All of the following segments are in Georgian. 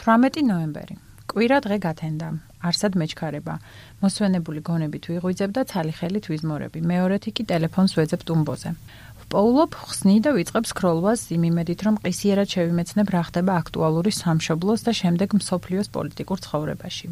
18 ნოემბერი. კვირა დღე გათენდა. არსად მეჩქარება. მოსვენებული გონებით ვიღვიძებ და ცალი ხელით ვიზმორები. მეორეთი კი ტელეფონს ვეძებ ტუმბოზე. ვპოულობ, ხსნი და ვიწყებ სქროლვას იმ იმედით, რომ ყისიერად შევიმეცნებ რა ხდება აქტუალური სამშობლოს და შემდეგ მსოფლიოს პოლიტიკურ ცხოვრებაში.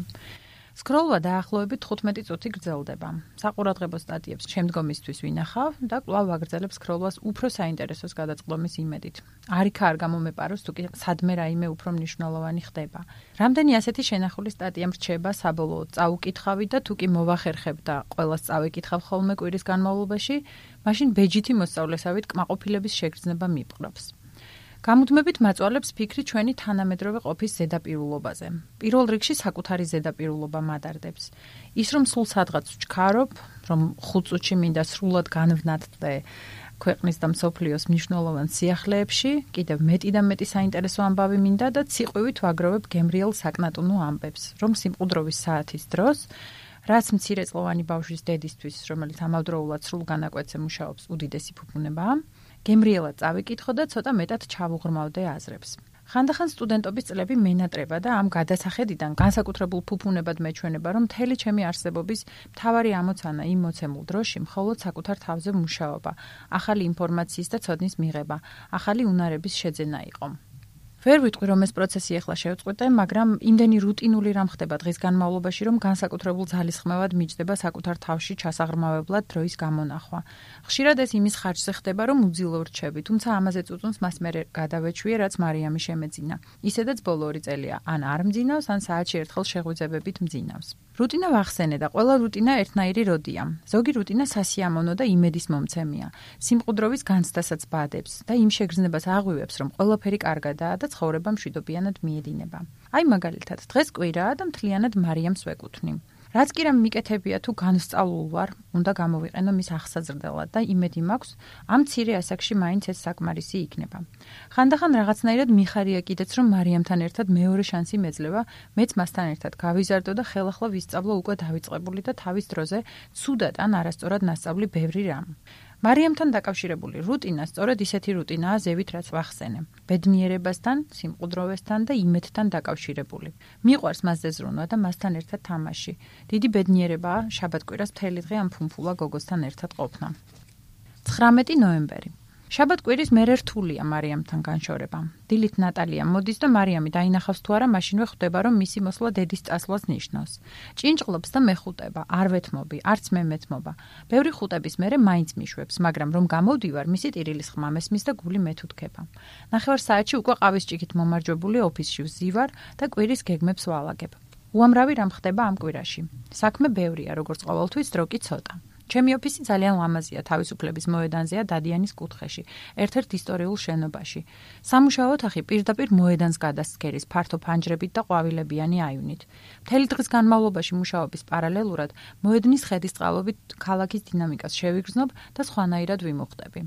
სქროლვა დაახლოებით 15 წუთი გრძელდება. საყურადღებო სტატიებს შემდგომისთვის ვინახავ და კვლავ ვაგრძელებ სქროლვას უფრო საინტერესოს გადაწყდომის იმედით. არიქა არ გამომეპაროს, თუ კი სადმე რაიმე უფრო მნიშვნელოვანი ხდება. რამდენი ასეთი შენახული სტატია მრჩება საბოლოოდ წაუკითხავი და თუ კი მოვახერხებ და ყველას წავიკითხავ ხოლმე კვირის განმავლობაში, მაშინ ბეჯითი მოსწავლესავით კმაყოფილების შეგრძნება მიპყრობს. გამუდმებით მაწვალებს ფიქრი ჩვენი თანამედროვე ყოფის ზედაპირულობაზე. პირველ რიგში საკუთარი ზედაპირულობა მადარდებს. ის რომ სულ სადღაც ვჩქარობ, რომ 5 წუთში მინდა სრულად განვნათდე ქვეყნის და მსოფლიოს მნიშვნელოვან სიახლეებში, კიდევ მეტი და მეტი საინტერესო ამბავი მინდა და ციყვივით ვაგროვებ გემრიელ საკნატუნო ამბებს, რომ სიმყუდროვის საათის დროს, რაც მცირეწლოვანი ბავშვის დედისთვის, რომელიც ამავდროულად სრულ განაკვეთზე მუშაობს, უდიდესი ფუფუნებაა, გემრიელად წავიკითხო და ცოტა მეტად ჩავუღრმავდე აზრებს. ხანდახან სტუდენტობის წლები მენატრება და ამ გადასახედიდან განსაკუთრებულ ფუფუნებად მეჩვენება, რომ მთელი ჩემი არსებობის მთავარი ამოცანა იმ მოცემულ დროში მხოლოდ საკუთარ თავზე მუშაობა, ახალი ინფორმაციის და ცოდნის მიღება, ახალი უნარების შეძენა იყო. ვერ ვიტყვი, რომ ეს პროცესი ახლა შევწყვეტე, მაგრამ იმდენი რუტინული რამ ხდება დღის განმავლობაში, რომ განსაკუთრებულ ძალისხმევად მიჯდება საკუთარ თავში ჩასაღრმავებლად დროის გამონახვა. ხშირად ეს იმის ხარჯზე ხდება, რომ უძილო ვრჩები, თუმცა ამაზე წუწუნს მას მერე გადავეჩვიე, რაც მარიამი შემეძინა. ისედაც ბოლო 2 წელია, ან არ მძინავს, ან საათში ერთხელ შეღვიძებებით მძინავს. რუტინა ვახსენე და ყველა რუტინა ერთნაირი როდია. ზოგი რუტინა სასიამოვნო და იმედის მომცემია. სიმყუდროვის განცდასაც ბადებს და იმ შეგრძნებას აღვივებს, რომ ყველაფერი კარგადაა და ცხოვრება მშვიდობიანად მიედინება. აი მაგალითად, დღეს კვირაა და მთლიანად მარიამს ვეკუთვნი. რაც კი რამ მიკეთებია თუ განსწავლულ ვარ, უნდა გამოვიყენო მის აღსაზრდელად და იმედი მაქვს, ამ მცირე ასაკში მაინც ეს საკმარისი იქნება. ხანდახან რაღაცნაირად მიხარია კიდეც, რომ მარიამთან ერთად მეორე შანსი მეძლევა, მეც მასთან ერთად გავიზარდო და ხელახლა ვისწავლო უკვე დავიწყებული და თავის დროზე ცუდად ან არასწორად ნასწავლი ბევრი რამ. მარიამთან დაკავშირებული რუტინა სწორედ ისეთი რუტინაა ზევით, რაც ვახსენე. ბედნიერებასთან, სიმყუდროვესთან და იმედთან დაკავშირებული. მიყვარს მასზე ზრუნვა და მასთან ერთად თამაში. დიდი ბედნიერებაა შაბათ-კვირას მთელი დღე ამ ფუმფულა გოგოსთან ერთად ყოფნა. 19 ნოემბერი. შაბათ-კვირის მერე რთულია მარიამთან განშორება. დილით ნატალია მოდის და მარიამი დაინახავს თუ არა, მაშინვე ხვდება, რომ მისი მოსვლა დედის წასვლას ნიშნავს. ჭინჭყლობს და მეხუტება, არ ვეთმობი, არც მე მეთმობა. ბევრი ხუტების მერე მაინც მიშვებს, მაგრამ რომ გამოვდივარ, მისი ტირილის ხმა მესმის და გული მეთუთქება. 9 საათში უკვე ყავის ჭიქით მომარჯვებული ოფისში ვზივარ და კვირის გეგმებს ვალაგებ. უამრავი რამ ხდება ამ კვირაში. საქმე ბევრია, როგორც ყოველთვის, დრო კი ცოტა. ჩემი ოფისი ძალიან ლამაზია, თავისუფლების მოედანზეა დადიანის კუთხეში, ერთ-ერთ ისტორიულ შენობაში. სამუშაო ოთახი პირდაპირ მოედანს გადასცქერის ფართო ფანჯრებით და ყვავილებიანი აივნით. მთელი დღის განმავლობაში მუშაობის პარალელურად მოედნის ხედის წყალობით ქალაქის დინამიკას შევიგრძნობ და სხვანაირად ვიმუხტები.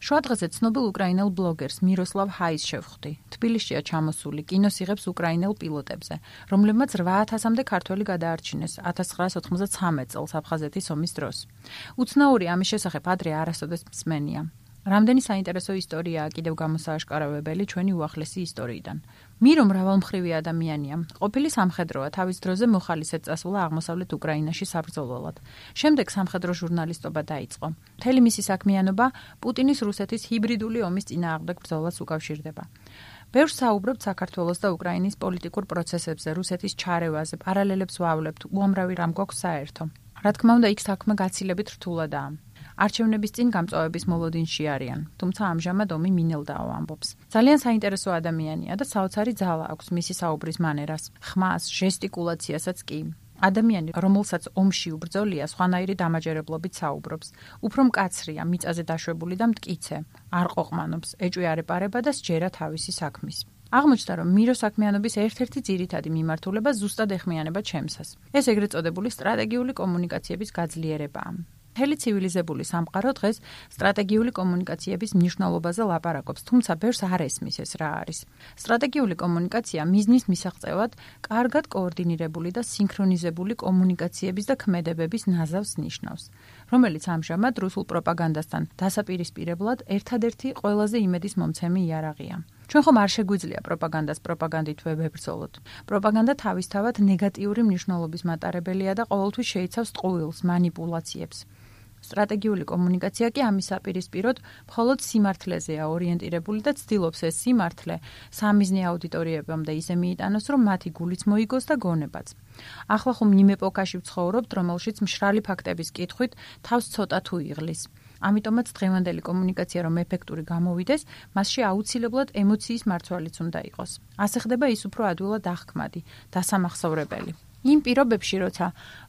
შუა დღეზე ცნობილ უკრაინელ ბლოგერს მიროსლავ ჰაის შევხვდი. თბილისშია ჩამოსული, კინოს იღებს უკრაინელ პილოტებზე, რომლებმაც 8000-მდე ქართველი გადაარჩინეს 1993 წელს აფხაზეთის ომის დროს. უცნაური ამის შესახებ ადრე არასოდეს მსმენია. რამდენი საინტერესო ისტორიაა კიდევ გამოსააშკარავებელი ჩვენი უახლესი ისტორიიდან. მირო მრავალმხრივი ადამიანია. ყოფილი სამხედროა, თავის დროზე მოხალისედ წასულა აღმოსავლეთ უკრაინაში საბრძოლველად. შემდეგ სამხედრო ჟურნალისტობა დაიწყო. მთელი მისი საქმიანობა პუტინის რუსეთის ჰიბრიდული ომის წინააღმდეგ ბრძოლას უკავშირდება. ბევრს საუბრობთ საქართველოს და უკრაინის პოლიტიკურ პროცესებზე, რუსეთის ჩარევაზე, პარალელებს ვავლებთ, უამრავი რამ გვაქვს საერთო. რა თქმა უნდა, იქ საქმე გაცილებით რთულადაა. არჩევნების წინ გამწვავების მოლოდინში არიან, თუმცა ამჟამად ომი მინელდაო ამბობს. ძალიან საინტერესო ადამიანია და საოცარი ძალა აქვს მისი საუბრის მანერას, ხმას, ჟესტიკულაციასაც კი. ადამიანი, რომელსაც ომში უბრძოლია, სხვანაირი დამაჯერებლობით საუბრობს. უფრო მკაცრია, მიწაზე დაშვებული და მტკიცე, არ ყოყმანობს, ეჭვი არ ეპარება და სჯერა თავისი საქმის. აღმოჩნდა, რომ მირო საქმიანობის ერთ-ერთი ძირითადი მიმართულება ზუსტად ეხმიანება ჩემსას. ეს ეგრეთ წოდებული სტრატეგიული კომუნიკაციების გაძლიერებაა. მთელი ცივილიზებული სამყარო დღეს სტრატეგიული კომუნიკაციების მნიშვნელობაზე ლაპარაკობს, თუმცა ბევრს არ ესმის ეს რა არის. სტრატეგიული კომუნიკაცია მიზნის მისაღწევად კარგად კოორდინირებული და სინქრონიზებული კომუნიკაციების და ქმედებების ნაზავს ნიშნავს. რომელიც ამჟამად რუსულ პროპაგანდასთან დასაპირისპირებლად ერთადერთი ყველაზე იმედის მომცემი იარაღია. ჩვენ ხომ არ შეგვიძლია პროპაგანდას პროპაგანდით ვებრძოლოთ. პროპაგანდა თავისთავად ნეგატიური მნიშვნელობის მატარებელია და ყოველთვის შეიცავს ტყუილს, манипуляციებს. სტრატეგიული კომუნიკაცია კი ამის საპირისპიროდ მხოლოდ სიმართლეზეა ორიენტირებული და ცდილობს ეს სიმართლე სამიზნე აუდიტორიებამდე ისე მიიტანოს, რომ მათი გულიც მოიგოს და გონებაც. ახლა ხომ იმ ეპოქაში ვცხოვრობთ, რომელშიც მშრალი ფაქტების კითხვით თავს ცოტა თუ იღლის. ამიტომაც დღევანდელი კომუნიკაცია რომ ეფექტური გამოვიდეს, მასში აუცილებლად ემოციის მარცვალიც უნდა იყოს. ასე ხდება ის უფრო ადვილად აღქმადი, დასამახსოვრებელი. იმ პირობებში, როცა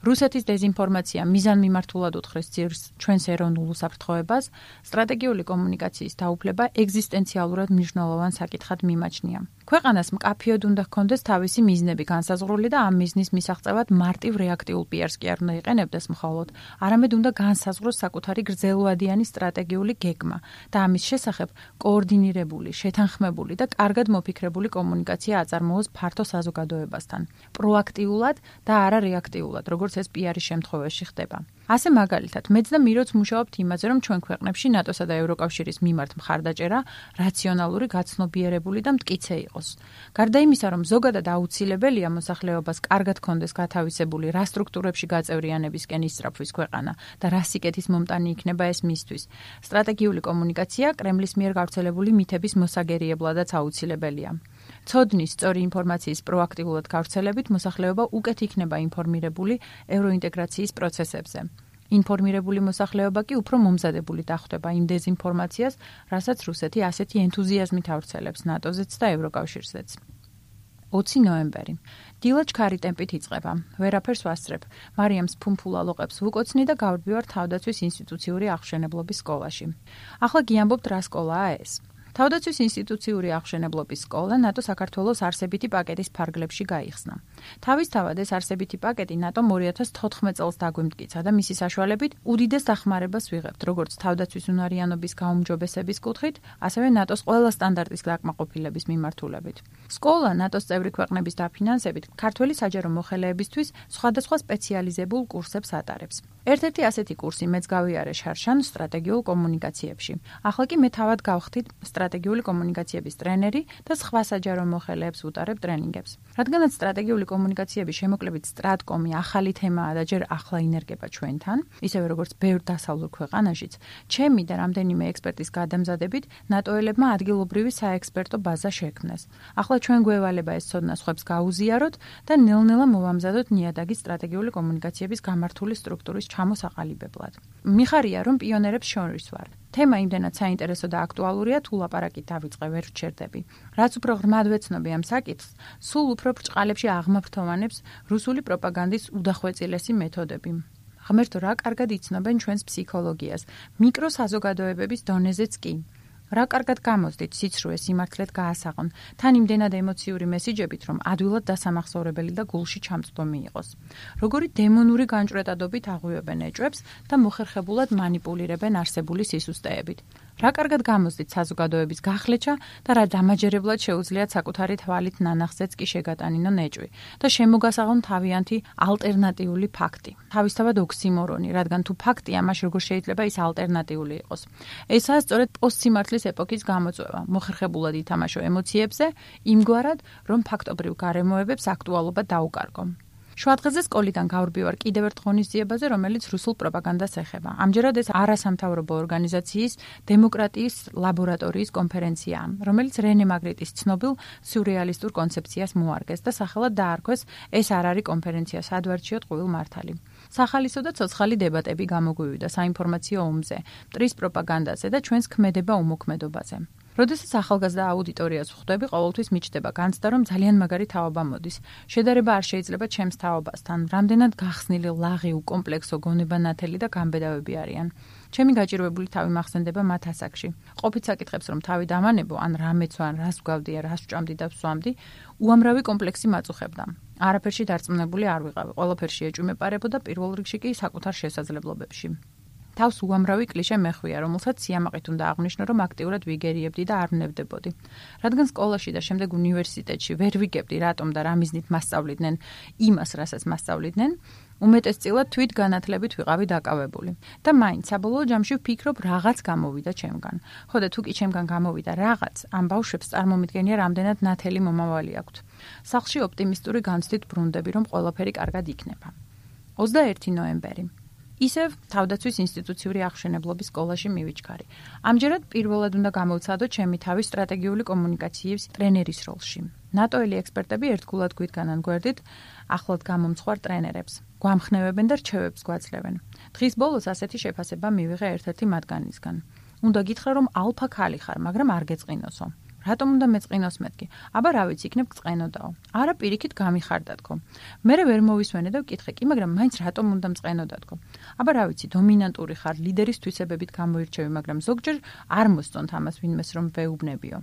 რუსეთის დეზინფორმაცია მიზანმიმართულად უთხრის ძირს ჩვენს ეროვნულ უსაფრთხოებას, სტრატეგიული კომუნიკაციის დაუფლება ეგზისტენციალურად მნიშვნელოვან საკითხად მიმაჩნია. ქვეყანას მკაფიოდ უნდა ჰქონდეს თავისი მიზნები განსაზღვრული და ამ მიზნის მისაღწევად მარტივ რეაქტიულ პიარს კი არ უნდა იყენებდეს მხოლოდ, არამედ უნდა განსაზღვროს საკუთარი გრძელვადიანი სტრატეგიული გეგმა და ამის შესახებ კოორდინირებული, შეთანხმებული და კარგად მოფიქრებული კომუნიკაცია აწარმოოს ფართო საზოგადოებასთან. პროაქტიულად და არა რეაქტიულად, როგორც ეს პიარის შემთხვევაში ხდება. ასე მაგალითად, მეც და მიროც მუშაობთ იმაზე, რომ ჩვენ ქვეყნებში ნატოსა და ევროკავშირის მიმართ მხარდაჭერა რაციონალური, გაცნობიერებული და მტკიცე იყოს. გარდა იმისა, რომ ზოგადად აუცილებელია მოსახლეობას კარგად ჰქონდეს გათავისებული რა სტრუქტურებში გაწევრიანებისკენ ისწრაფვის ქვეყანა და რა სიკეთის მომტანი იქნება ეს მისთვის. სტრატეგიული კომუნიკაცია კრემლის მიერ გავრცელებული მითების მოსაგერიებლადაც აუცილებელია. ცოდნის, სწორი ინფორმაციის პროაქტიულად გავრცელებით მოსახლეობა უკეთ იქნება ინფორმირებული ევროინტეგრაციის პროცესებზე. ინფორმირებული მოსახლეობა კი უფრო მომზადებული დახვდება იმ დეზინფორმაციას, რასაც რუსეთი ასეთი ენთუზიაზმით ავრცელებს ნატოზეც და ევროკავშირზეც. 20 ნოემბერი. დილა ჩქარი ტემპით იწყება. ვერაფერს ვასწრებ. მარიამს ფუმფულა ლოყებს ვუკოცნი და გავდივარ თავდაცვის ინსტიტუციური აღმშენებლობის სკოლაში. ახლა გიამბობთ რა სკოლაა ეს. თავდაცვის ინსტიტუციური აღმშენებლობის სკოლა ნატო საქართველოს არსებითი პაკეტის ფარგლებში გაიხსნა. თავისთავად ეს არსებითი პაკეტი ნატომ 2014 წელს დაგვიმტკიცა და მისი საშუალებით უდიდეს დახმარებას ვიღებთ, როგორც თავდაცვის უნარიანობის გაუმჯობესების კუთხით, ასევე ნატოს ყველა სტანდარტის დაკმაყოფილების მიმართულებით. სკოლა ნატოს წევრი ქვეყნების დაფინანსებით ქართველი საჯარო მოხელეებისთვის სხვადასხვა სპეციალიზებულ კურსებს ატარებს. ერთ-ერთი ასეთი კურსი მეც გავიარე შარშან სტრატეგიულ კომუნიკაციებში. ახლა კი მე თავად გავხდით სტრატეგიული კომუნიკაციების ტრენერი და სხვა საჯარო მოხელეებს ვუტარებ ტრენინგებს. რადგანაც სტრატეგიული კომუნიკაციების შემოკლებით სტრატკომი ახალი თემაა და ჯერ ახლა ინერგება ჩვენთან, ისევე როგორც ბევრ დასავლურ ქვეყანაშიც, ჩემი და რამდენიმე ექსპერტის გადამზადებით ნატოელებმა ადგილობრივი საექსპერტო ბაზა შექმნეს. ახლა ჩვენ გვევალება ეს ცოდნა სხვებს გაუზიაროთ და ნელ-ნელა მოვამზადოთ ნიადაგი სტრატეგიული კომუნიკაციების გამართული სტრუქტურის ჩამოსაყალიბებლად. მიხარია, რომ პიონერებს შორის ვარ. თემა იმდენად საინტერესო და აქტუალურია, თუ ლაპარაკით დავიწყე ვერ ვჩერდები. რაც უფრო ღრმად ვეცნობი ამ საკითხს, სულ უფრო ბრჭყალებში აღმაფრთოვანებს რუსული პროპაგანდის უდახვეწილესი მეთოდები. ღმერთო, რა კარგად იცნობენ ჩვენს ფსიქოლოგიას, მიკრო საზოგადოებების დონეზეც კი. რა კარგად გამოსდით სიცრუე სიმართლედ გაასაღონ, თან იმდენად ემოციური მესიჯებით, რომ ადვილად დასამახსოვრებელი და გულში ჩამწვდომი იყოს. როგორი დემონური განჭვრეტადობით აღვივებენ ეჭვებს და მოხერხებულად манипуლირებენ არსებული სისუსტეებით. რა კარგად გამოსდით საზოგადოების გახლეჩა და რა დამაჯერებლად შეუძლიათ საკუთარი თვალით ნანახზეც კი შეგატანინონ ეჭვი და შემოგასაღონ თავიანთი ალტერნატიული ფაქტი. თავისთავად ოქსიმორონი, რადგან თუ ფაქტია, მაშ როგორ შეიძლება ის ალტერნატიული იყოს. ესაა სწორედ პოსტსიმართლის ეპოქის გამოწვევა, მოხერხებულად ითამაშო ემოციებზე, იმგვარად, რომ ფაქტობრივ გარემოებებს აქტუალობა დაუკარგო. შუადღეზე სკოლიდან გავრბივარ კიდევ ერთ ღონისძიებაზე, რომელიც რუსულ პროპაგანდას ეხება. ამჯერად ეს არასამთავრობო ორგანიზაციის დემოკრატიის ლაბორატორიის კონფერენციაა, რომელიც რენე მაგრიტის ცნობილ სიურეალისტურ კონცეფციას მოარგეს და სახელად დაარქვეს ეს არ არის კონფერენცია, სადვარჩიოთ ყუილ მართალი. სახალისო და ცოცხალი დებატები გამოგვივიდა საინფორმაციო ომზე, მტრის პროპაგანდაზე და ჩვენს ქმედება უმოქმედობაზე. როდესაც ახალგაზრდა აუდიტორიას ვხვდები, ყოველთვის მიჩნდება განცდა, რომ ძალიან მაგარი თაობა მოდის. შედარება არ შეიძლება ჩემს თაობასთან, რამდენად გახსნილი, ლაღი, უკომპლექსო, გონებანათელი და გამბედავები არიან. ჩემი გაჭირვებული თავი მახსენდება მათ ასაკში. ყოფით საკითხებს რომ თავი დამანებო, ან რამეც ან რას ვგავდი, რას ვჭამდი და ვსვამდი, უამრავი კომპლექსი მაწუხებდა. არაფერში დარწმუნებული არ ვიყავი, ყველაფერში ეჭვი მეპარებოდა, პირველ რიგში კი საკუთარ შესაძლებლობებში. თავს უამრავი კლიშე მეხვია, რომელსაც სიამაყით უნდა აღვნიშნო, რომ აქტიურად ვიგერიებდი და არ ვნებდებოდი. რადგან სკოლაში და შემდეგ უნივერსიტეტში ვერ ვიგებდი, რატომ და რა მიზნით მასწავლიდნენ იმას, რასაც მასწავლიდნენ, უმეტესწილად თვით განათლებით ვიყავი დაკავებული. და მაინც საბოლოო ჯამში ვფიქრობ, რაღაც გამოვიდა ჩემგან. ხო და თუ კი ჩემგან გამოვიდა რაღაც, ამ ბავშვებს წარმომიდგენია, რამდენად ნათელი მომავალი აქვთ. სახლში ოპტიმისტური განცდით ბრუნდები, რომ ყველაფერი კარგად იქნება. 21 ნოემბერი. ისევ თავდაცვის ინსტიტუციური აღშენებლობის სკოლაში მივიჩქარი. ამჯერად პირველად უნდა გამოვცადო ჩემი თავი სტრატეგიული კომუნიკაციის ტრენერის როლში. ნატოელი ექსპერტები ერთგულად გვიდგანან გვერდით ახლად გამომცხვარ ტრენერებს. გვამხნევებენ და რჩევებს გვაძლევენ. დღის ბოლოს ასეთი შეფასება მივიღე ერთ-ერთი მათგანისგან. უნდა გითხრა, რომ ალფა ქალი ხარ, მაგრამ არ გეწყინოსო. რატომ უნდა მეწყინოს მეთქი? აბა რა ვიცი, იქნებ გწყენოდაო. არა, პირიქით გამიხარდათქო. მე ვერ მოვისვენე და ვკითხე კი, მაგრამ მაინც რატომ უნდა მწყენოდათქო? აბა რა ვიცი, დომინანტური ხარ, ლიდერის თვისებებით გამოირჩევი, მაგრამ ზოგჯერ არ მოსწონთ ამას ვინმეს რომ ვეუბნებიო.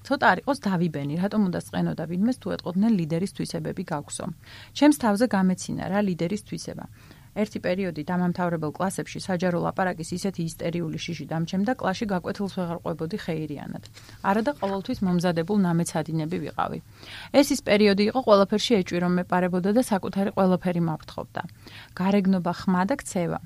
ცოტა არ იყოს დავიბენი, რატომ უნდა სწყენოდა ვინმეს თუ ეტყოდნენ ლიდერის თვისებები გაქვსო. ჩემს თავზე გამეცინა რა ლიდერის თვისება. ერთი პერიოდი დამამთავრებელ კლასებში საჯარო ლაპარაკის ისეთი ისტერიული შიში დამჩემდა, კლასში გაკვეთილს ვეღარ ყვებოდი ხეირიანად. არა და ყოველთვის მომზადებულ ნამეცადინები ვიყავი. ეს ის პერიოდი იყო, ყველაფერში ეჭვი რომ მეპარებოდა და საკუთარი ყველაფერი მაფრთხობდა. გარეგნობა, ხმა და ქცევა.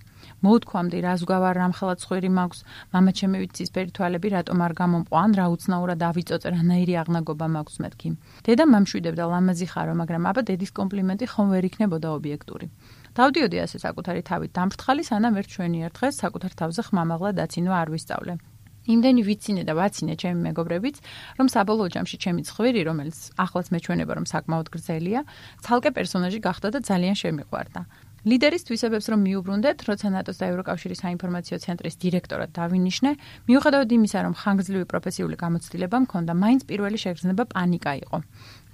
მოუთქვამდი, რა ზღვარ რამხელა ცხვირი მაქვს, მამა ჩემი ვიცისფერი თვალები რატომ არ გამომყვა, ან რა უცნაურად დავიწოწე, რანაირი აღნაგობა მაქვს მეთქი. დედა მამშვიდებდა ლამაზი ხარო, მაგრამ აბა დედის კომპლიმენტი ხომ ვერ იქნებოდა ობიექტური. დავდიოდი ასე საკუთარი თავით დამფრთხალი, სანამ ერთ ჩვენი ერთ დღეს საკუთარ თავზე ხმამაღლა დაცინვა არ ვისწავლე. იმდენი ვიცინე და ვაცინე ჩემი მეგობრებიც, რომ საბოლოო ჯამში ჩემი ცხვირი, რომელიც ახლაც მეჩვენება რომ საკმაოდ გრძელია, ცალკე პერსონაჟი გახდა და ძალიან შემიყვარდა. ლიდერის თვისებებს რომ მიუბრუნდეთ, როცა ნატოს და ევროკავშირის საინფორმაციო ცენტრის დირექტორად დავინიშნე, მიუხედავად იმისა, რომ ხანგრძლივი პროფესიული გამოცდილება მქონდა, მაინც პირველი შეგრძნება პანიკა იყო.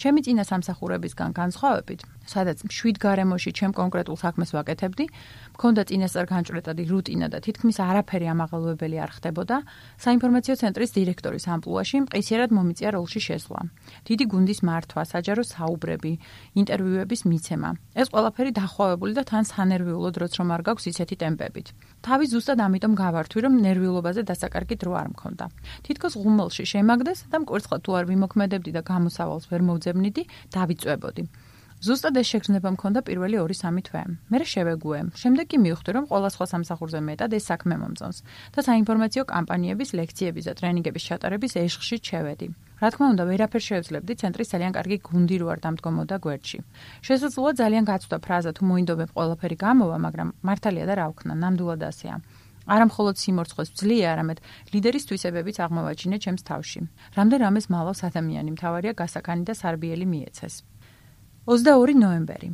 ჩემი წინა სამსახურებისგან განსხვავებით, სადაც მშვიდ გარემოში ჩემ კონკრეტულ საქმეს ვაკეთებდი, მქონდა წინასწარ განჭვრეტადი რუტინა და თითქმის არაფერი ამაღელვებელი არ ხდებოდა, საინფორმაციო ცენტრის დირექტორის ამპლუაში მყისიერად მომიწია როლში შესვლა. დიდი გუნდის მართვა, საჯარო საუბრები, ინტერვიუების მიცემა. ეს ყველაფერი დახვავებული და თან სანერვიულო დროც რომ არ გაქვს ისეთი ტემპებით. თავი ზუსტად ამიტომ გავართვი, რომ ნერვიულობაზე დასაკარგი დრო არ მქონდა. თითქოს ღუმელში შემაგდეს და მკვერცხად თუ არ ვიმოქმედებდი და გამოსავალს ვერ მოვძებნიდი, დავიწვებოდი. ზუსტად ეს შეგრძნება მქონდა პირველი 2-3 თვე. მერე შევეგუე. შემდეგ კი მივხვდი, რომ ყველა სხვა სამსახურზე მეტად ეს საქმე მომწონს და საინფორმაციო კამპანიების, ლექციების და ტრენინგების ჩატარების ეშხში შევედი. რა თქმა უნდა, ვერაფერ შევძლებდი, ცენტრის ძალიან კარგი გუნდი რო არ დამდგომოდა გვერდში. შესაძლოა ძალიან გაცვდა ფრაზა თუ მოინდომებ ყველაფერი გამოვა, მაგრამ მართალია და რა ვქნა, ნამდვილად ასეა. არა მხოლოდ სიმორცხოს ვძლია, არამედ ლიდერის თვისებებიც აღმოვაჩინე ჩემს თავში. რამდენ რამეს მალავს ადამიანი, მთავარია გასაქანი და სარბიელი მიეცეს. 22 ნოემბერი.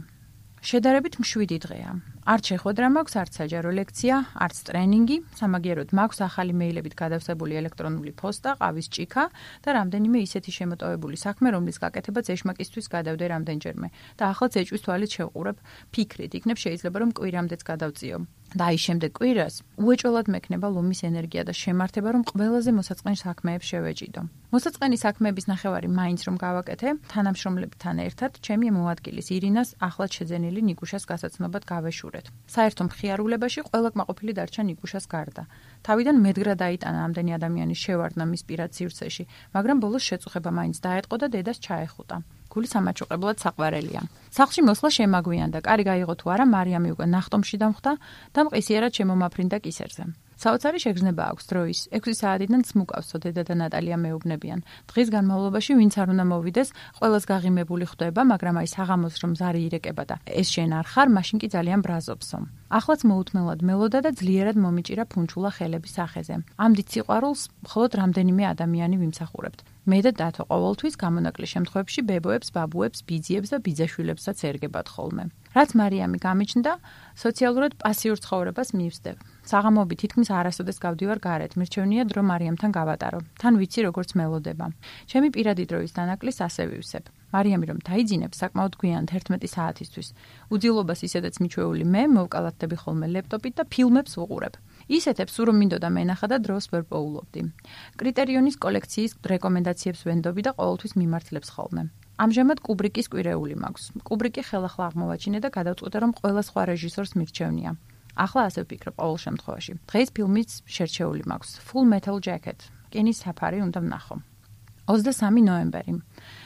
შედარებით მშვიდი დღეა. არც შეხვედრა მაქვს, არც საჯარო ლექცია, არც ტრენინგი, სამაგიეროდ მაქვს ახალი მეილებით გადავსებული ელექტრონული პოსტა, ყავის ჭიქა და რამდენიმე ისეთი შემოტოვებული საქმე, რომლის გაკეთებაც ეშმაკისთვის გადავდე რამდენჯერმე და ახლა ეჭვის თვალით შევყურებ ფიქრით, იქნებ შეიძლება რომ კვირამდეც გადავწიო. და აი შემდეგ კვირას უეჭველად მექნება ლომის ენერგია და შემართება, რომ ყველაზე მოსაწყენ საქმეებს შევეჭიდო. მოსაწყენი საქმეების ნახევარი მაინც რომ გავაკეთე, თანამშრომლებთან ერთად ჩემი მოადგილის ირინას ახლად შეძენილი ნიკუშას გასაცნობად გავეშურეთ. საერთო მხიარულებაში ყველა კმაყოფილი დარჩა ნიკუშას გარდა. თავიდან მედგრად აიტანა ამდენი ადამიანის შევარდნა მის პირად სივრცეში, მაგრამ ბოლოს შეწუხება მაინც დაეტყო და დედას ჩაეხუტა. გული სამაჩუყებლად საყვარელია. სახლში მოსვლა შემაგვიანდა, კარი გაიღო თუ არა, მარიამი უკვე ნახტომში დამხვდა და მყისიერად შემომაფრინდა კისერზე. საოცარი შეგრძნება აქვს დროის. 6 საათიდან ცმუკავსო დედა და ნატალია მეუბნებიან. დღის განმავლობაში ვინც არ უნდა მოვიდეს, ყველას გაღიმებული ხვდება, მაგრამ აი საღამოს რომ ზარი ირეკება და ეს შენ არ ხარ, მაშინ კი ძალიან ბრაზობსო. ახლაც მოუთმელად მელოდა და ძლიერად მომიჭირა ფუნჩულა ხელების სახეზე. ამ დიდ სიყვარულს მხოლოდ რამდენიმე ადამიანი ვიმსახურებთ. მე და დათო ყოველთვის გამონაკლისს შემთხვევებში ბებოებს, ბაბუებს, ბიძიებს და ბიძაშვილებსაც ერგებათ ხოლმე. რაც მარიამი გამიჩნდა, სოციალურად პასიურ ცხოვრებას მივსდებ. საღამოები თითქმის არასოდეს გავდივარ გარეთ, მირჩევნია დრო მარიამთან გავატარო. თან ვიცი როგორც მელოდება. ჩემი პირადი დროის დანაკლისს ასე ვივსებ. მარიამი რომ დაიძინებს საკმაოდ გვიან 11 საათისთვის. უძილობას ისედაც მიჩვეული მე მოვკალათდები ხოლმე ლეპტოპით და ფილმებს ვუყურებ. ისეთებს რომ მინდოდა მენახა და დროს ვერ პოულობდი. კრიტერიონის კოლექციის რეკომენდაციებს ვენდობი და ყოველთვის მიმართლებს ხოლმე. ამჟამად კუბრიკის კვირეული მაქვს. კუბრიკი ხელახლა აღმოვაჩინე და გადავწყვიტე რომ ყველა სხვა რეჟისორს მირჩევნია. ახლა ასე ვფიქრობ ყოველ შემთხვევაში. დღეს ფილმიც შერჩეული მაქვს. Full Metal Jacket. კინის საფარი უნდა ვნახო. 23 ნოემბერი.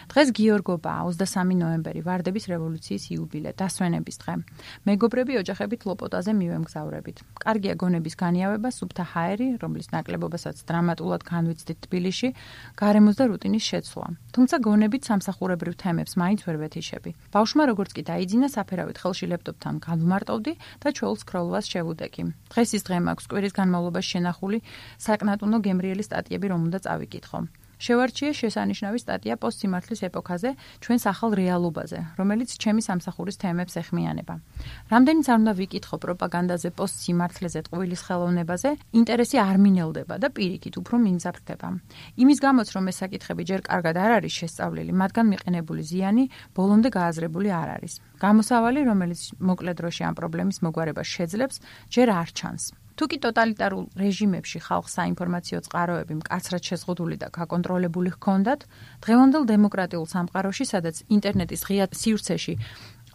დღეს გიორგობაა 23 ნოემბერი, ვარდების რევოლუციის იუბილე, დასვენების დღე. მეგობრები ოჯახებით ლოპოტაზე მივემგზავრებით. კარგია გონების განიავება, სუფთა ჰაერი, რომლის ნაკლებობასაც დრამატულად განვიცდით თბილისში, გარემოს და რუტინის შეცვლა. თუმცა გონებით სამსახურებრივ თემებს მაინც ვერ ვეთიშები. ბავშვმა როგორც კი დაიძინა, საფერავით ხელში ლეპტოპთან გავმარტოვდი და ჩვეულ სკროლვას შევუდექი. დღეს ის დღე მაქვს კვირის განმავლობაში შენახული საკნატუნო გემრიელი სტატიები, რომ უნდა წავიკითხო. შევარჩიე შესანიშნავი სტატია პოსტსიმართლის ეპოქაზე, ჩვენს ახალ რეალობაზე, რომელიც ჩემი სამსახურის თემებს ეხმიანება. რამდენიც არ უნდა ვიკითხო პროპაგანდაზე, პოსტსიმართლეზე, ტყუილის ხელოვნებაზე, ინტერესი არ მინელდება და პირიქით უფრო მიმზაფრდება. იმის გამოც, რომ ეს საკითხები ჯერ კარგად არ არის შესწავლილი, მათგან მიყენებული ზიანი ბოლომდე გააზრებული არ არის. გამოსავალი, რომელიც მოკლე დროში ამ პრობლემის მოგვარებას შეძლებს, ჯერ არ ჩანს. თუკი ტოტალიტარულ რეჟიმებში ხალხს საინფორმაციო წყაროები მკაცრად შეზღუდული და გაკონტროლებული ჰქონდათ, დღევანდელ დემოკრატიულ სამყაროში, სადაც ინტერნეტის ღია სივრცეში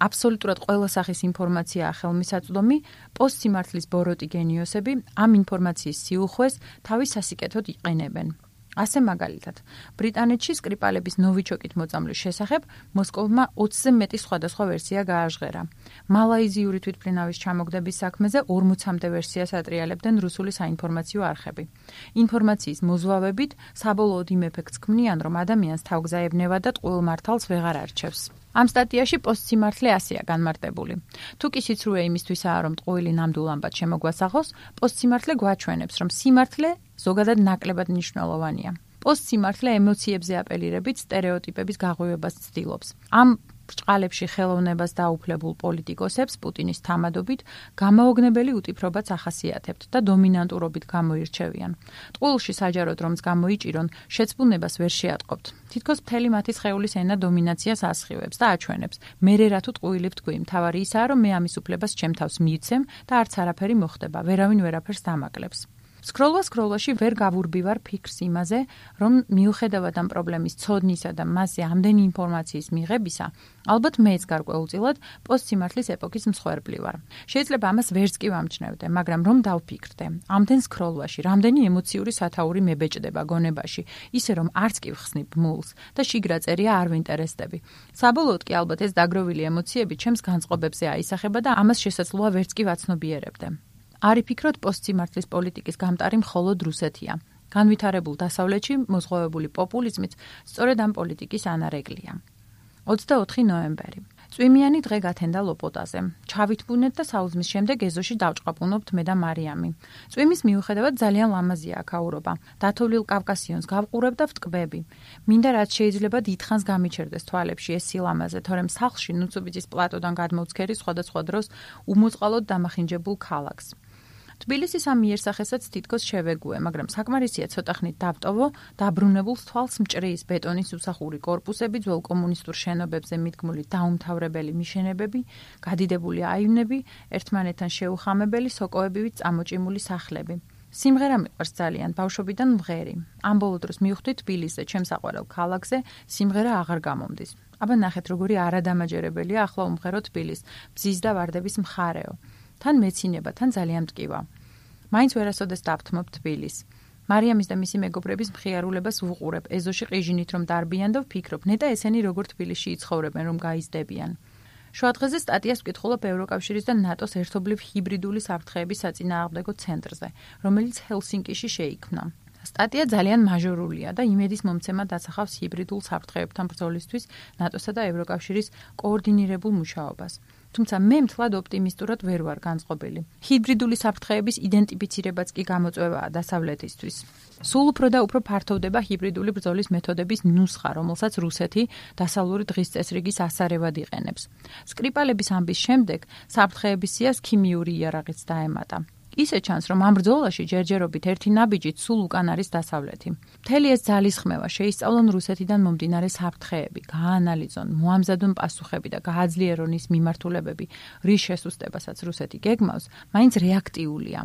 აბსოლუტურად ყველა სახის ინფორმაციაა ხელმისაწვდომი, პოსტსიმართლის ბოროტი გენიოსები ამ ინფორმაციის სიუხვეს თავის სასიკეთოდ იყენებენ. ასე მაგალითად, ბრიტანეთში სკრიპალების ნოვიჩოკით მოწამვლის შესახებ მოსკოვმა 20-ზე მეტი სხვადასხვა ვერსია გააჟღერა. მალაიზიური თვითმფრინავის ჩამოგდების საქმეზე 40-მდე ვერსიას ატრიალებდნენ რუსული საინფორმაციო არხები. ინფორმაციის მოზვავებით საბოლოოდ იმ ეფექტს ქმნიან, რომ ადამიანს თავგზაებნება და ტყუილ მართალს ვეღარ არჩევს. ამ სტატიაში პოსტსიმართლე ასეა განმარტებული. თუკი სიცრუე იმისთვისაა, რომ ტყუილი ნამდვილ ამბად შემოგვასახოს, პოსტსიმართლე გვაჩვენებს, რომ სიმართლე ზოგადად ნაკლებად მნიშვნელოვანია. პოსტსიმართლე ემოციებზე აპელირებით სტერეოტიპების გაღვივებას ცდილობს. ამ ბრჭყალებში ხელოვნებას დაუფლებულ პოლიტიკოსებს პუტინის თამადობით გამაოგნებელი უტიფრობაც ახასიათებთ და დომინანტურობით გამოირჩევიან. ტყუილში საჯაროდ რომც გამოიჭირონ, შეწყვნებას ვერ შეატყობთ. თითქოს მთელი მათი სხეულის ენა დომინაციას ასხივებს და აჩვენებს. მერე რა თუ ტყუილი ვთქვი, მთავარი ისაა, რომ მე ამის უფლებას ჩემ თავს მივცემ და არც არაფერი მოხდება, ვერავინ ვერაფერს დამაკლებს. სკროლვაში ვერ გავურბივარ ფიქრს იმაზე, რომ მიუხედავად ამ პრობლემის ცოდნისა და მასზე ამდენი ინფორმაციის მიღებისა, ალბათ მეც გარკვეულწილად პოსტსიმართლის ეპოქის მსხვერპლი ვარ. შეიძლება ამას ვერც კი ვამჩნევდე, მაგრამ რომ დავფიქრდე, ამდენ სკროლვაში რამდენი ემოციური სათაური მებეჭდება გონებაში, ისე რომ არც კი ვხსნი ბმულს და შიგრა წერია არ ვინტერესდები. საბოლოოდ კი ალბათ ეს დაგროვილი ემოციები ჩემს განწყობებზე აისახება და ამას შესაძლოა ვერც კი ვაცნობიერებდე. არ იფიქროთ პოსტსიმართლის პოლიტიკის გამტარი მხოლოდ რუსეთია. განვითარებულ დასავლეთში მოზღვავებული პოპულიზმით სწორედ ამ პოლიტიკის ანარეკლია. 24 ნოემბერი. წვიმიანი დღე გათენდა ლოპოტაზე. ჩავითბუნეთ და საუზმის შემდეგ ეზოში დავჭყაპუნობთ მე და მარიამი. წვიმის მიუხედავად ძალიან ლამაზია აქაურობა. დათოვლილ კავკასიონს გავყურებ და ვტკბები. მინდა რაც შეიძლება დიდხანს გამიჩერდეს თვალებში ეს სილამაზე, თორემ სახლში ნუცუბიძის პლატოდან გადმოვცქერი სხვადასხვა დროს უმოწყალოდ დამახინჯებულ ქალაქს. თბილისის ამ იერსახესაც თითქოს შევეგუე, მაგრამ საკმარისია ცოტა ხნით დავტოვო დაბრუნებულ თვალს მჭრის ბეტონის უსახური კორპუსები, ძველ კომუნისტურ შენობებზე მიდგმული დაუმთავრებელი მიშენებები, გადიდებული აივნები, ერთმანეთთან შეუხამებელი სოკოებივით წამოჭიმული სახლები. სიმღერა მიყვარს ძალიან, ბავშვობიდან მღერი. ამ ბოლო დროს მივხვდი თბილისზე, ჩემს საყვარელ ქალაქზე, სიმღერა აღარ გამომდის. აბა ნახეთ, როგორი არადამაჯერებელია ახლა უმღერო თბილის, ბზის და ვარდების მხარეო. თან მეცინება, თან ძალიან მტკივა. მაინც ვერასოდეს დავთმობ თბილისს. მარიამის და მისი მეგობრების მხიარულებას ვუყურებ, ეზოში ყიჟინით რომ დარბიან და ვფიქრობ, ნეტა ესენი როგორ თბილისში იცხოვრებენ, რომ გაიზრდებიან. შუადღეზე სტატიას ვკითხულობ ევროკავშირის და ნატოს ერთობლივ ჰიბრიდული საფრთხეების საწინააღმდეგო ცენტრზე, რომელიც ჰელსინკიში შეიქმნა. სტატია ძალიან მაჟორულია და იმედის მომცემად დასახავს ჰიბრიდულ საფრთხეებთან ბრძოლისთვის ნატოსა და ევროკავშირის კოორდინირებულ მუშაობას. თუმცა მე მთლად ოპტიმისტურად ვერ ვარ განწყობილი. ჰიბრიდული საფრთხეების იდენტიფიცირებაც კი გამოწვევაა დასავლეთისთვის. სულ უფრო და უფრო ფართოვდება ჰიბრიდული ბრძოლის მეთოდების ნუსხა, რომელსაც რუსეთი დასავლური დღის წესრიგის ასარევად იყენებს. სკრიპალების ამბის შემდეგ საფრთხეების სიას ქიმიური იარაღიც დაემატა. ისე ჩანს, რომ ამ ბრძოლაში ჯერჯერობით ერთი ნაბიჯით სულ უკან არის დასავლეთი. მთელი ეს ძალისხმევა შეისწავლონ რუსეთიდან მომდინარე საფრთხეები, გაანალიზონ, მოამზადონ პასუხები და გააძლიერონ ის მიმართულებები, რის შესუსტებასაც რუსეთი გეგმავს, მაინც რეაქტიულია.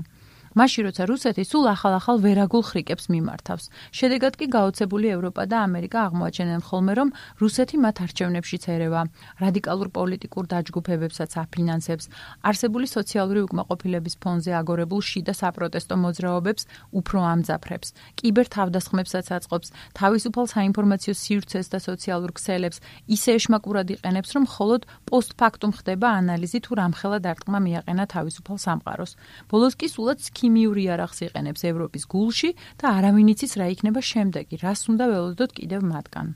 მაშინ როცა რუსეთი სულ ახალ-ახალ ვერაგულ ხრიკებს მიმართავს. შედეგად კი გაოცებული ევროპა და ამერიკა აღმოაჩენენ ხოლმე, რომ რუსეთი მათ არჩევნებშიც ერევა, რადიკალურ პოლიტიკურ დაჯგუფებებსაც აფინანსებს, არსებული სოციალური უკმაყოფილების ფონზე აგორებულ შიდა საპროტესტო მოძრაობებს უფრო ამძაფრებს, კიბერთავდასხმებსაც აწყობს, თავისუფალ საინფორმაციო სივრცეს და სოციალურ ქსელებს ისე ეშმაკურად იყენებს, რომ მხოლოდ პოსტფაქტუმ ხდება ანალიზი თუ რამხელა დარტყმა მიაყენა თავისუფალ სამყაროს. ბოლოს კი სულაც ქიმიური იარაღს იყენებს ევროპის გულში და არავინ იცის რა იქნება შემდეგი, რას უნდა ველოდოთ კიდევ მათგან.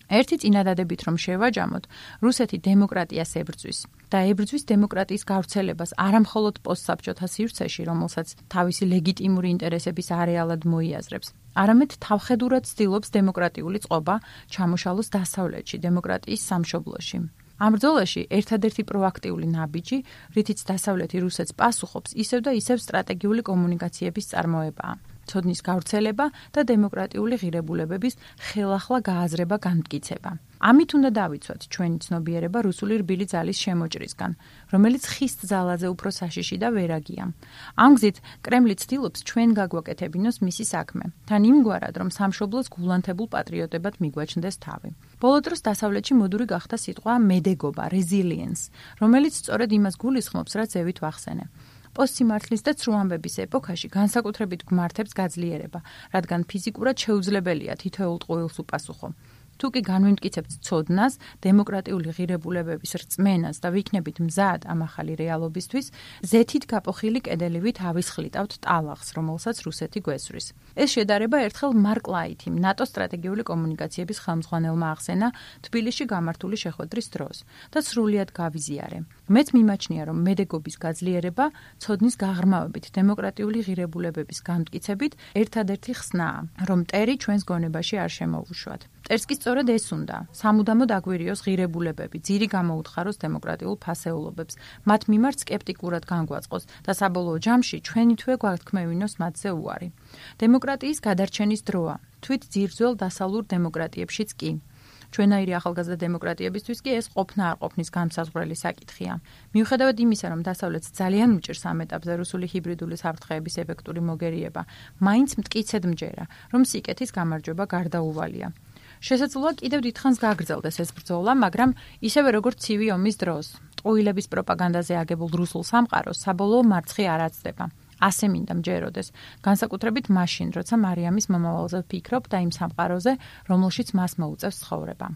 ერთი წინადადებით რომ შევაჯამოთ, რუსეთი დემოკრატიას ებრძვის და ებრძვის დემოკრატიის გავრცელებას არა მხოლოდ პოსტსაბჭოთა სივრცეში, რომელსაც თავისი ლეგიტიმური ინტერესების არეალად მოიაზრებს, არამედ თავხედურად ცდილობს დემოკრატიული წყობა ჩამოშალოს დასავლეთში, დემოკრატიის სამშობლოში. ამ ბრძოლაში ერთადერთი პროაქტიული ნაბიჯი, რითიც დასავლეთი რუსეთს პასუხობს, ისევ და ისევ სტრატეგიული კომუნიკაციების წარმოებაა. ცოდნის გავრცელება და დემოკრატიული ღირებულებების ხელახლა გააზრება განმტკიცება. ამით უნდა დავიცვათ ჩვენი ცნობიერება რუსული რბილი ძალის შემოჭრისგან, რომელიც ხის ძალაზე უფრო საშიში და ვერაგია. ამ გზით კრემლი ცდილობს ჩვენ გაგვაკეთებინოს მისი საქმე, თან იმგვარად, რომ სამშობლოს გულანთებულ პატრიოტებად მიგვაჩნდეს თავი. ბოლო დროს დასავლეთში მოდური გახდა სიტყვა მედეგობა, resilience, რომელიც სწორედ იმას გულისხმობს, რაც ევით ვახსენე. პოსტსიმართლის და ცრუ ამბების ეპოქაში განსაკუთრებით გვმართებს გაძლიერება, რადგან ფიზიკურად შეუძლებელია თითოეულ ტყუილს უპასუხო. თუ კი განვიმტკიცებთ ცოდნას, დემოკრატიული ღირებულებების რწმენას და ვიქნებით მზად ამ ახალი რეალობისთვის, ზეთით გაპოხილი კედელივით ავისხლიტავთ ტალახს, რომელსაც რუსეთი გვესვრის. ეს შედარება ერთხელ მარკ ლაითიმ, ნატოს სტრატეგიული კომუნიკაციების ხელმძღვანელმა ახსენა თბილისში გამართული შეხვედრის დროს და სრულიად გავიზიარე. მეც მიმაჩნია, რომ მედეგობის გაძლიერება ცოდნის გაღრმავებით, დემოკრატიული ღირებულებების განმტკიცებით ერთადერთი ხსნაა, რომ მტერი ჩვენს გონებაში არ შემოუშვათ. მტერს კი სწორედ ეს უნდა, სამუდამოდ აგვირიოს ღირებულებები, ძირი გამოუთხაროს დემოკრატიულ ფასეულობებს, მათ მიმართ სკეპტიკურად განგვაწყოს და საბოლოო ჯამში ჩვენი თვე გვათქმევინოს მათზე უარი. დემოკრატიის გადარჩენის დროა, თვით ძირძველ დასავლურ დემოკრატიებშიც კი. ჩვენაირი ახალგაზრდა დემოკრატიებისთვის კი ეს ყოფნა არ ყოფნის განმსაზღვრელი საკითხია. მიუხედავად იმისა, რომ დასავლეთს ძალიან უჭირს ამ ეტაპზე რუსული ჰიბრიდული საფრთხეების ეფექტური მოგერიება, მაინც მტკიცედ მჯერა, რომ სიკეთის გამარჯვება გარდაუვალია. შესაძლოა კიდევ დიდხანს გაგრძელდეს ეს ბრძოლა, მაგრამ ისევე როგორც ცივი ომის დროს, ტყუილების პროპაგანდაზე აგებულ რუსულ სამყაროს საბოლოო მარცხი არ აცდება. ასე მინდა მჯეროდეს, განსაკუთრებით მაშინ, როცა მარიამის მომავალზე ვფიქრობ და იმ სამყაროზე, რომელშიც მას მოუწევს ცხოვრება.